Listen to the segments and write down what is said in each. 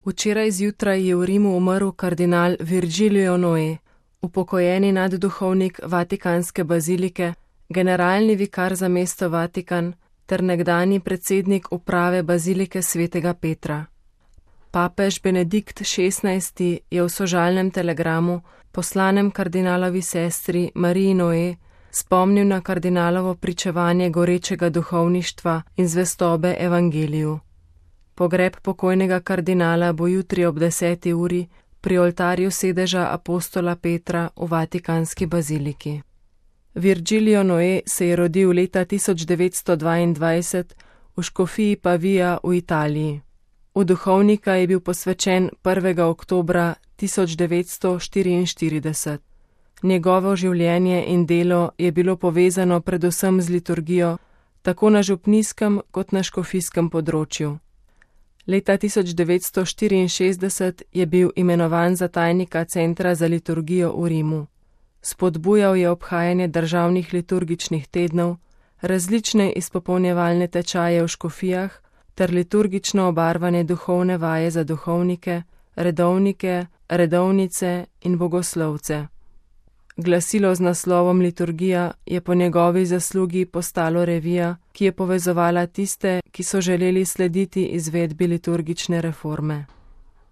Včeraj zjutraj je v Rimu umrl kardinal Virgilio Noé, upokojeni nadduhovnik Vatikanske bazilike, generalni vikar za mesto Vatikan ter nekdanji predsednik uprave bazilike svetega Petra. Papež Benedikt XVI. Je v sožalnem telegramu, poslanem kardinalovi sestri Mariji Noé, spomnil na kardinalovo pričevanje gorečega duhovništva in zvestobe evangeliju. Pogreb pokojnega kardinala bo jutri ob 10. uri pri oltarju sedeža apostola Petra v Vatikanski baziliki. Virgilio Noé se je rodil leta 1922 v škofiji Pavia v Italiji. V duhovnika je bil posvečen 1. oktobra 1944. Njegovo življenje in delo je bilo povezano predvsem z liturgijo, tako na župnijskem kot na škofijskem področju. Leta 1964 je bil imenovan za tajnika Centra za liturgijo v Rimu. Spodbujal je obhajanje državnih liturgičnih tednov, različne izpopolnjevalne tečaje v škofijah ter liturgično obarvane duhovne vaje za duhovnike, redovnike, redovnice in bogoslovce. Glasilo z naslovom Liturgija je po njegovi zaslugi postalo revija, ki je povezovala tiste, ki so želeli slediti izvedbi liturgične reforme.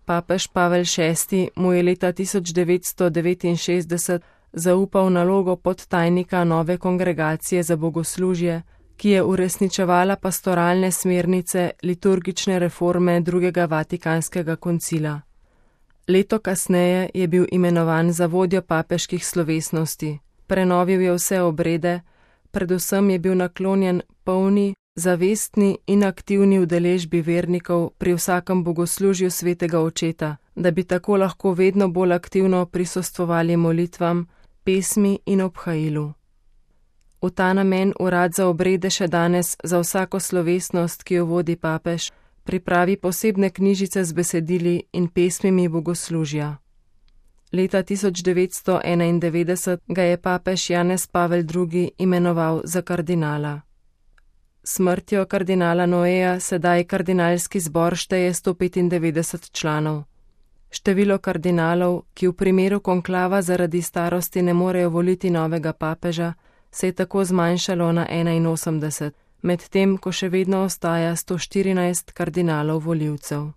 Papež Pavel VI. Mu je leta 1969 zaupal nalogo podtajnika nove kongregacije za bogoslužje, ki je uresničevala pastoralne smernice liturgične reforme drugega Vatikanskega koncila. Leto kasneje je bil imenovan za vodjo papeških slovesnosti, prenovil je vse obrede, predvsem je bil naklonjen polni, zavestni in aktivni udeležbi vernikov pri vsakem bogoslužju svetega očeta, da bi tako lahko vedno bolj aktivno prisostvovali molitvam, pesmi in obhajilu. V ta namen urad za obrede še danes za vsako slovesnost, ki jo vodi papež, pripravi posebne knjižice z besedili in pesmimi bogoslužja. Leta 1991 ga je papež Janez Pavel II. Imenoval za kardinala. Smrtjo kardinala Noéja sedaj kardinalski zbor šteje 195 članov. Število kardinalov, ki v primeru konklava zaradi starosti ne morejo voliti novega papeža, se je tako zmanjšalo na 81, medtem ko še vedno ostaja 114 kardinalov volivcev.